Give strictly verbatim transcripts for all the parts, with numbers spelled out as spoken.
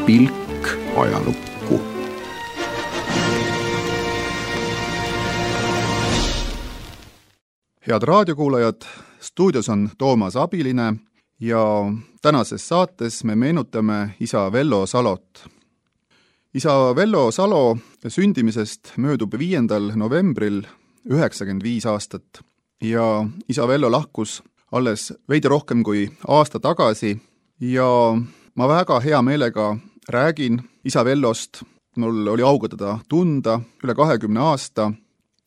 pilk ajalukku. Head raadiokuulajad, stuudios on Toomas Abiline ja tänases saates me meenutame isa Vello Salot. Isa Vello Salo sündimisest möödub viiendal novembril üheksakümmend viis aastat ja isa Vello lahkus alles veidi rohkem kui aasta tagasi ja ma väga hea meelega räägin isa Vellost. Mul oli auga teda tunda üle kahekümne aasta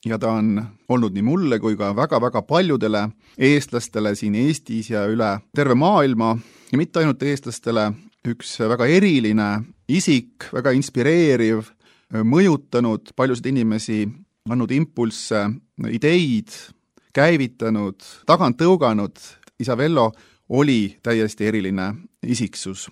ja ta on olnud nii mulle kui ka väga-väga paljudele eestlastele siin Eestis ja üle terve maailma ja mitte ainult eestlastele üks väga eriline isik, väga inspireeriv, mõjutanud paljusid inimesi, andnud impulsse, ideid, käivitanud, tagant tõuganud. Isa Vello oli täiesti eriline isiksus.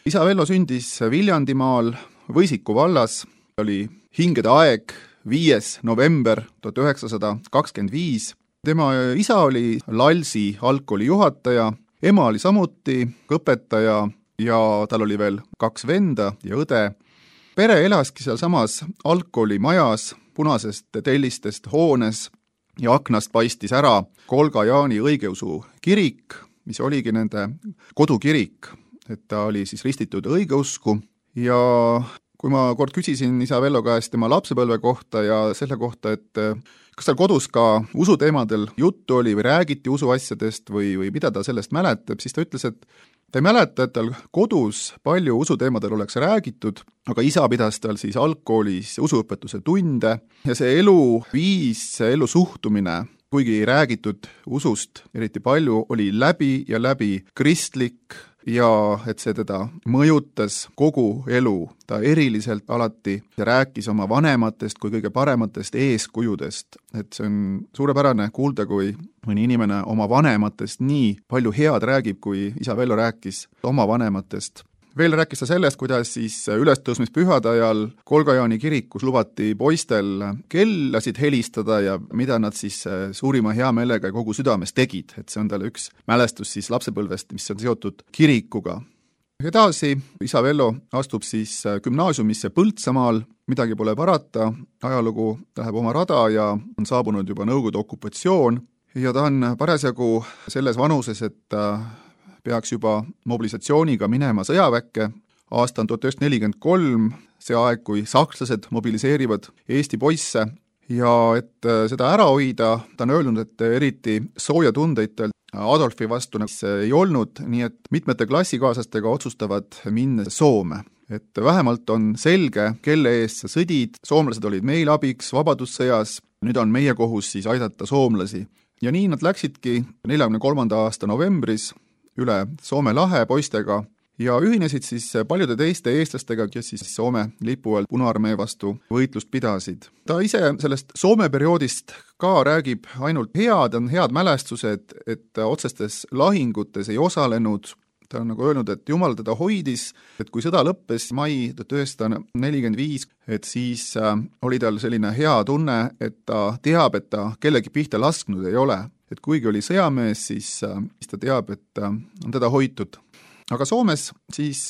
Isa Vello sündis Viljandimaal Võisiku vallas, oli hingede aeg, viies november tuhat üheksasada kakskümmend viis. Tema isa oli Lalsi algkooli juhataja, ema oli samuti õpetaja ja tal oli veel kaks venda ja õde. Pere elaski seal samas algkooli majas, punasest tellistest hoones ja aknast paistis ära Kolga Jaani õigeusu kirik, mis oligi nende kodukirik, et ta oli siis ristitud õigeusku. Ja kui ma kord küsisin isa Vello käest tema lapsepõlve kohta ja selle kohta, et kas tal kodus ka usuteemadel juttu oli või räägiti usuasjadest või, või mida ta sellest mäletab, siis ta ütles, et ta ei mäleta, et tal kodus palju usuteemadel oleks räägitud, aga isa pidas tal siis algkoolis usuõpetuse tunde ja see eluviis, see elusuhtumine, kuigi ei räägitud usust eriti palju, oli läbi ja läbi kristlik ja et see teda mõjutas kogu elu. Ta eriliselt alati rääkis oma vanematest kui kõige parematest eeskujudest. Et see on suurepärane kuulda, kui mõni inimene oma vanematest nii palju head räägib, kui isa Vello rääkis oma vanematest. Veel rääkis ta sellest, kuidas siis ülestõusmispühade ajal Kolga Jaani kirikus lubati poistel kellasid helistada ja mida nad siis suurima hea meelega kogu südames tegid. Et see on talle üks mälestus siis lapsepõlvest, mis on seotud kirikuga. Edasi isa Vello astub siis gümnaasiumisse Põltsamaal, midagi pole parata, ajalugu läheb oma rada ja on saabunud juba Nõukogude okupatsioon ja ta on parasjagu selles vanuses, et peaks juba mobilisatsiooniga minema sõjaväkke. Aasta on tuhat üheksasada nelikümmend kolm, see aeg, kui sakslased mobiliseerivad Eesti poisse ja et seda ära hoida, ta on öelnud, et eriti sooja tundeid tal Adolfi vastu ei olnud, nii et mitmete klassikaaslastega otsustavad minna Soome. Et vähemalt on selge, kelle eest sa sõdid, soomlased olid meil abiks vabadussõjas, nüüd on meie kohus siis aidata soomlasi. Ja nii nad läksidki neljakümne kolmanda aasta novembris üle Soome lahe poistega ja ühinesid siis paljude teiste eestlastega, kes siis Soome lipu all Punaarmee vastu võitlust pidasid. Ta ise sellest Soome perioodist ka räägib ainult head, on head mälestused, et otsestes lahingutes ei osalenud. Ta on nagu öelnud, et Jumal teda hoidis, et kui sõda lõppes mai tuhat üheksasada nelikümmend viis, et siis oli tal selline hea tunne, et ta teab, et ta kellegi pihta lasknud ei ole. Et kuigi oli sõjamees, siis, siis ta teab, et on teda hoitud. Aga Soomes siis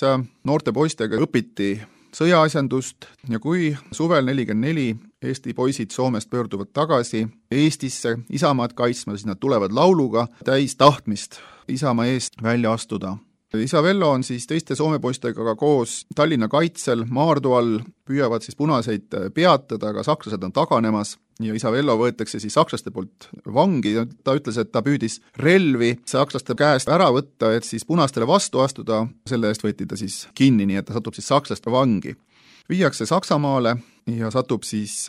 noorte poistega õpiti sõjaasjandust ja kui suvel nelikümmend neli Eesti poisid Soomest pöörduvad tagasi Eestisse isamaad kaitsma, siis nad tulevad lauluga täis tahtmist isamaa eest välja astuda. Isa Vello on siis teiste Soome poistega koos Tallinna kaitsel Maardu all, püüavad siis punaseid peatada, aga sakslased on taganemas ja isa Vello võetakse siis sakslaste poolt vangi. Ta ütles, et ta püüdis relvi sakslaste käest ära võtta, et siis punastele vastu astuda. Selle eest võeti ta siis kinni, nii et ta satub siis sakslaste vangi. Viiakse Saksamaale ja satub siis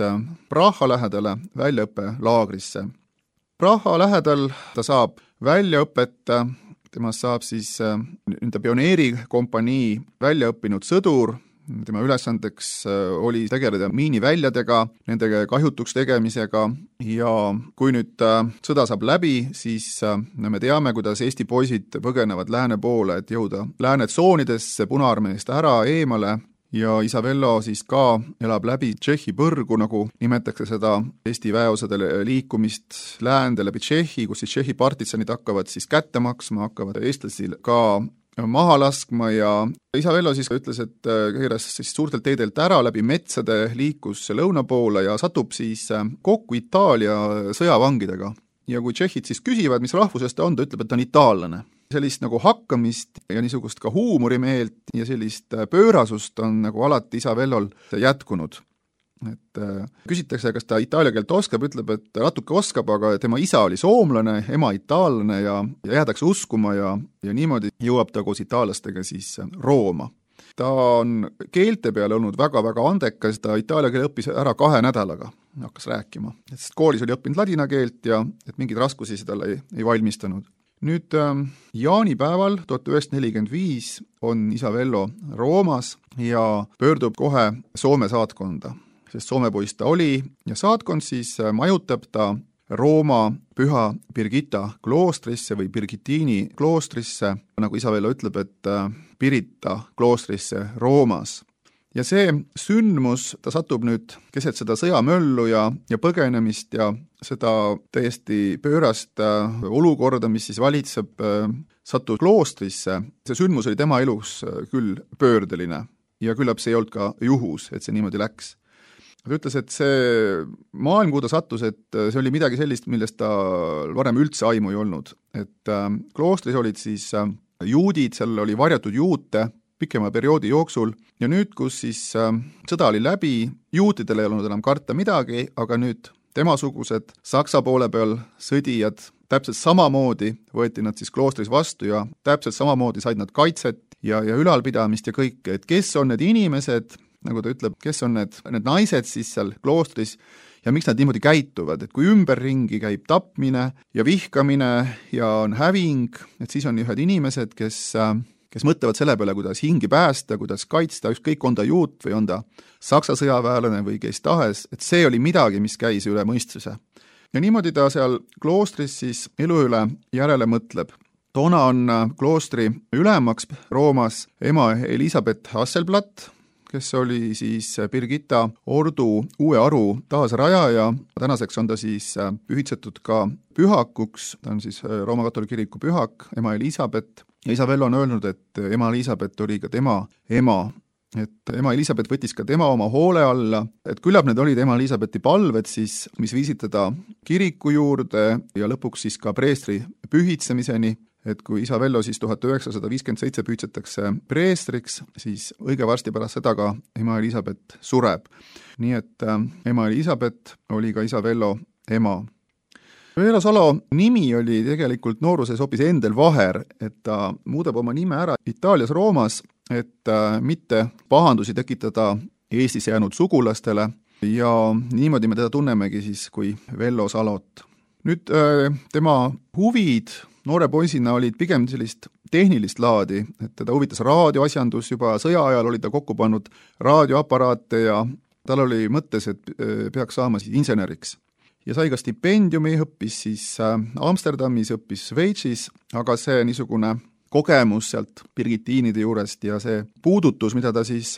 Praha lähedale väljaõppelaagrisse. Praha lähedal ta saab väljaõpet, temast saab siis nende pioneerikompanii väljaõppinud sõdur. Tema ülesandeks oli tegeleda miiniväljadega, nende kahjutuks tegemisega ja kui nüüd sõda saab läbi, siis me teame, kuidas Eesti poisid põgenevad lääne poole, et jõuda lääne tsoonidesse Punaarmeest ära eemale. Ja isa Vello siis ka elab läbi Tšehhi põrgu, nagu nimetakse seda Eesti väeosadele liikumist läände läbi Tšehhi, kus siis Tšehhi partitsanid hakkavad siis kätte maksma, hakkavad eestlasil ka maha laskma ja isa Vello siis ütles, et keeras siis suurtelt teedelt ära läbi metsade, liikus lõuna poole ja satub siis kokku Itaalia sõjavangidega. Ja kui tšehhid siis küsivad, mis rahvusest ta on, ta ütleb, et ta on itaallane. Sellist nagu hakkamist ja niisugust ka huumorimeelt ja sellist pöörasust on nagu alati isa Vellol jätkunud. Et küsitakse, kas ta itaalia keelt oskab, ütleb, et natuke oskab, aga tema isa oli soomlane, ema itaallane ja, ja jäädakse uskuma ja, ja niimoodi jõuab ta koos itaallastega siis Rooma. Ta on keelte peale olnud väga-väga andekas, ta itaalia keele õppis ära kahe nädalaga, hakkas rääkima. Sest koolis oli õppinud ladina keelt ja et mingeid raskusi seda ei, ei valmistanud. Nüüd jaanipäeval tuhat üheksasada nelikümmend viis on isa Vello Roomas ja pöördub kohe Soome saatkonda, sest Soome poiss ta oli ja saatkond siis majutab ta Rooma Püha Birgitta kloostrisse või Birgittiini kloostrisse, nagu isa Vello ütleb, et Pirita kloostrisse Roomas. Ja see sündmus, ta satub nüüd keset seda sõjamöllu ja, ja põgenemist ja seda täiesti pöörast olukorda, mis siis valitseb, satub kloostrisse. See sündmus oli tema elus küll pöördeline ja küllap see ei olnud ka juhus, et see niimoodi läks. Ta ütles, et see maailm, kuhu ta sattus, et see oli midagi sellist, millest ta varem üldse aimu ei olnud. Et kloostris olid siis juudid, seal oli varjatud juute pikema perioodi jooksul ja nüüd, kus siis sõda oli läbi, juutidel ei olnud enam karta midagi, aga nüüd temasugused Saksa poole peal sõdijad täpselt samamoodi võeti nad siis kloostris vastu ja täpselt samamoodi said nad kaitset ja, ja ülalpidamist ja kõike, et kes on need inimesed, nagu ta ütleb, kes on need, need naised siis seal kloostris ja miks nad niimoodi käituvad, et kui ümberringi käib tapmine ja vihkamine ja on häving, et siis on ühed inimesed, kes kes mõtlevad selle peale, kuidas hingi päästa, kuidas kaitsta, ükskõik on ta juut või on ta saksa sõjaväelane või kes tahes, et see oli midagi, mis käis üle mõistuse. Ja niimoodi ta seal kloostris siis elu üle järele mõtleb. Toona on kloostri ülemaks Roomas ema Elisabeth Hasselblatt, kes oli siis Birgitta ordu uue aru taasrajaja. Tänaseks on ta siis pühitsetud ka pühakuks, ta on siis Rooma katoliku kiriku pühak, ema Elisabeth. Ja isa Vello on öelnud, et ema Elisabeth oli ka tema ema, et ema Elisabeth võttis ka tema oma hoole alla, et küllap need olid ema Elisabethi palved siis, mis viisid teda kiriku juurde ja lõpuks siis ka preestri pühitsemiseni, et kui isa Vello siis tuhat üheksasada viiskümmend seitse pühitsetakse preestriks, siis õige varsti pärast seda ka ema Elisabeth sureb. Nii et ema Elisabeth oli ka isa Vello ema. Vello Salo nimi oli tegelikult nooruses hoopis Endel Vaher, et ta muudab oma nime ära Itaalias Roomas, et mitte pahandusi tekitada Eestis jäänud sugulastele ja niimoodi me teda tunnemegi siis kui Vello Salot. Nüüd tema huvid noore poisina olid pigem sellist tehnilist laadi, et teda huvitas raadioasjandus, juba sõja ajal oli ta kokku pannud raadioaparaate ja tal oli mõttes, et peaks saama siis inseneriks. Ja sai ka stipendiumi, õppis siis Amsterdamis, õppis Šveitsis, aga see niisugune kogemus sealt Birgittiinide juurest ja see puudutus, mida ta siis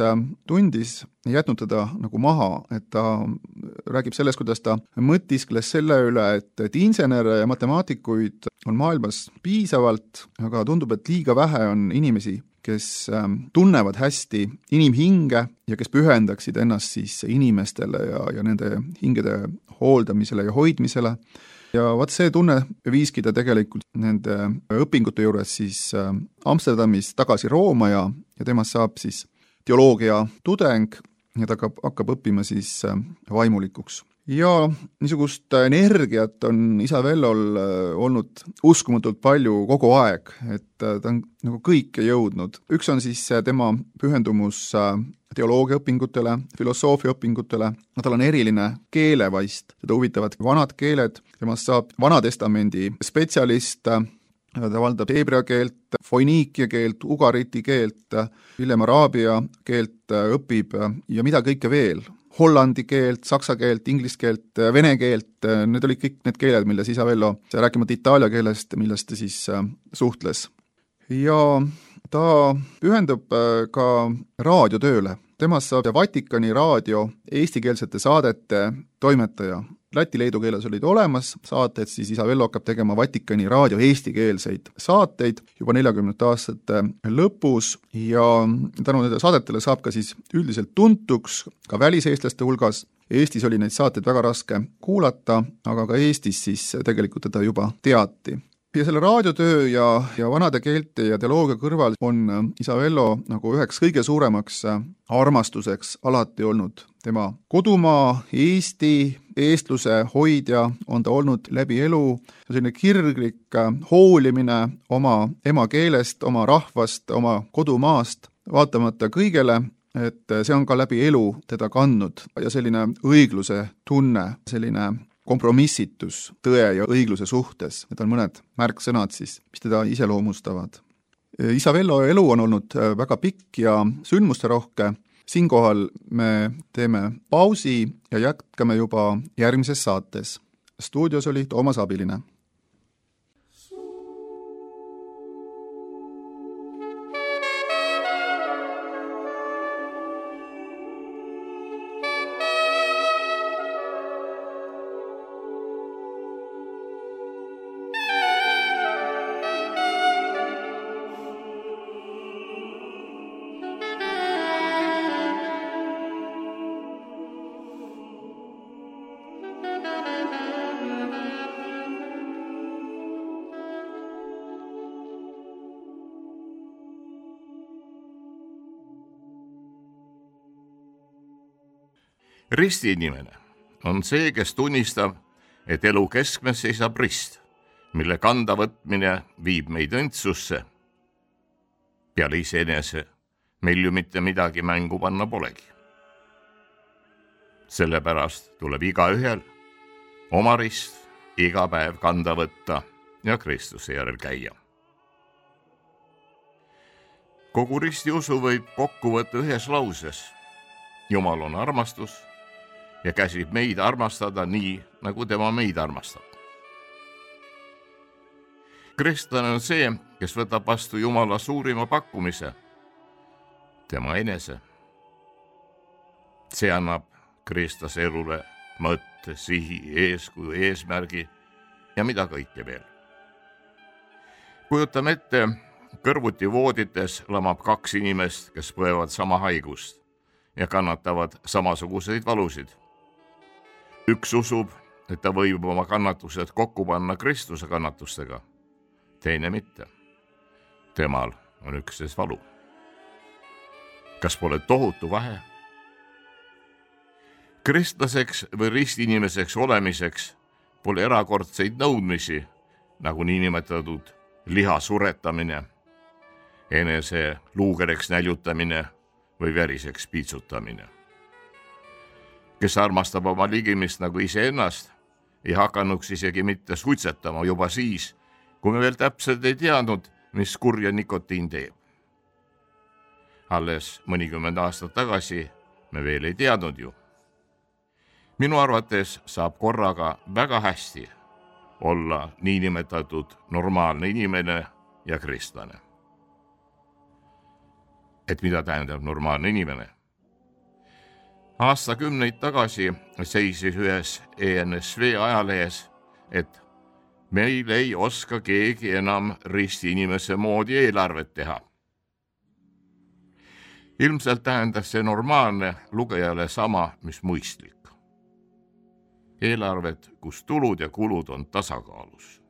tundis, ei jätnud teda nagu maha, et ta räägib sellest, kuidas ta mõtiskles selle üle, et, et insenere ja matemaatikuid on maailmas piisavalt, aga tundub, et liiga vähe on inimesi, kes tunnevad hästi inimhinge ja kes pühendaksid ennast siis inimestele ja, ja nende hingede hooldamisele ja hoidmisele. Ja vaat see tunne viiski ta tegelikult nende õpingute juures siis Amsterdamis tagasi Rooma ja, ja temast saab siis teoloogia tudeng ja ta hakkab, hakkab õppima siis vaimulikuks. Ja niisugust energiat on isa Vellol olnud uskumatult palju kogu aeg, et ta on nagu kõike jõudnud. Üks on siis tema pühendumus teoloogiaõpingutele, filosoofiaõpingutele, tal on eriline keelevaist, teda huvitavad vanad keeled, temast saab Vanatestamendi spetsialist, ta valdab heebrea keelt, foiniikia keelt, ugariti keelt, hiljem araabia keelt õpib ja mida kõike veel. Hollandi keelt, saksa keelt, inglise keelt, vene keelt, need olid kõik need keeled, milles isa Vello, rääkimata itaalia keelest, millest ta siis suhtles. Ja ta pühendub ka raadiotööle, temast saab Vatikani raadio eestikeelsete saadete toimetaja. Läti-leedu keeles olid olemas saated, siis isa Vello hakkab tegema Vatikani raadio eestikeelseid saateid juba neljakümnendate aastate lõpus ja tänu nende saadetele saab ka siis üldiselt tuntuks ka väliseestlaste hulgas. Eestis oli neid saateid väga raske kuulata, aga ka Eestis siis tegelikult teda juba teati. Ja selle raadiotöö ja, ja vanade keelte ja teoloogia kõrval on isa Vello nagu üheks kõige suuremaks armastuseks alati olnud tema kodumaa, Eesti, eestluse hoidja on ta olnud läbi elu, selline kirglik hoolimine oma emakeelest, oma rahvast, oma kodumaast, vaatamata kõigele, et see on ka läbi elu teda kandnud ja selline õigluse tunne, selline kompromissitus tõe ja õigluse suhtes. Need on mõned märksõnad siis, mis teda iseloomustavad. Isa Vello elu on olnud väga pikk ja sündmusterohke. Siinkohal me teeme pausi ja jätkame juba järgmises saates. Stuudios oli Toomas Abiline. Ristiinimene on see, kes tunnistab, et elu keskmes seisab rist, mille kanda võtmine viib meid õndsusse. Peale iseenese meil ju mitte midagi mängu panna polegi. Sellepärast tuleb igaühel oma rist iga päev kanda võtta ja Kristuse järel käia. Kogu ristiusu võib kokku võtta ühes lauses. Jumal on armastus ja käsib meid armastada nii, nagu tema meid armastab. Kristlane on see, kes võtab vastu Jumala suurima pakkumise, tema enese. See annab kristlase elule mõtte, sihi, eeskuju, eesmärgi ja mida kõike veel. Kujutame ette, kõrvuti voodites lamab kaks inimest, kes põevad sama haigust ja kannatavad samasuguseid valusid. Üks usub, et ta võib oma kannatused kokku panna Kristuse kannatustega, teine mitte. Temal on üksnes valu. Kas pole tohutu vahe? Kristlaseks või ristiinimeseks olemiseks pole erakordseid nõudmisi, nagu niinimetatud liha suretamine, enese luugereks näljutamine või veriseks piitsutamine. Kes armastab oma ligimist nagu iseennast, ei hakanuks isegi mitte suitsetama juba siis, kui me veel täpselt ei teadnud, mis kurja nikotiin teeb. Alles mõnikümmend aastat tagasi me veel ei teadnud ju. Minu arvates saab korraga väga hästi olla niinimetatud normaalne inimene ja kristlane. Et mida tähendab normaalne inimene? Aastakümneid tagasi seisis ühes E N S V ajalehes, et meil ei oska keegi enam ristiinimese moodi eelarvet teha. Ilmselt tähendas see normaalne lugejale sama, mis mõistlik. Eelarvet, kus tulud ja kulud on tasakaalus.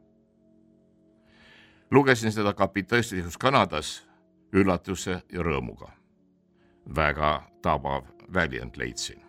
Lugesin seda kapitalistlikus Kanadas üllatuse ja rõõmuga. Väga tabav väljend leidsin.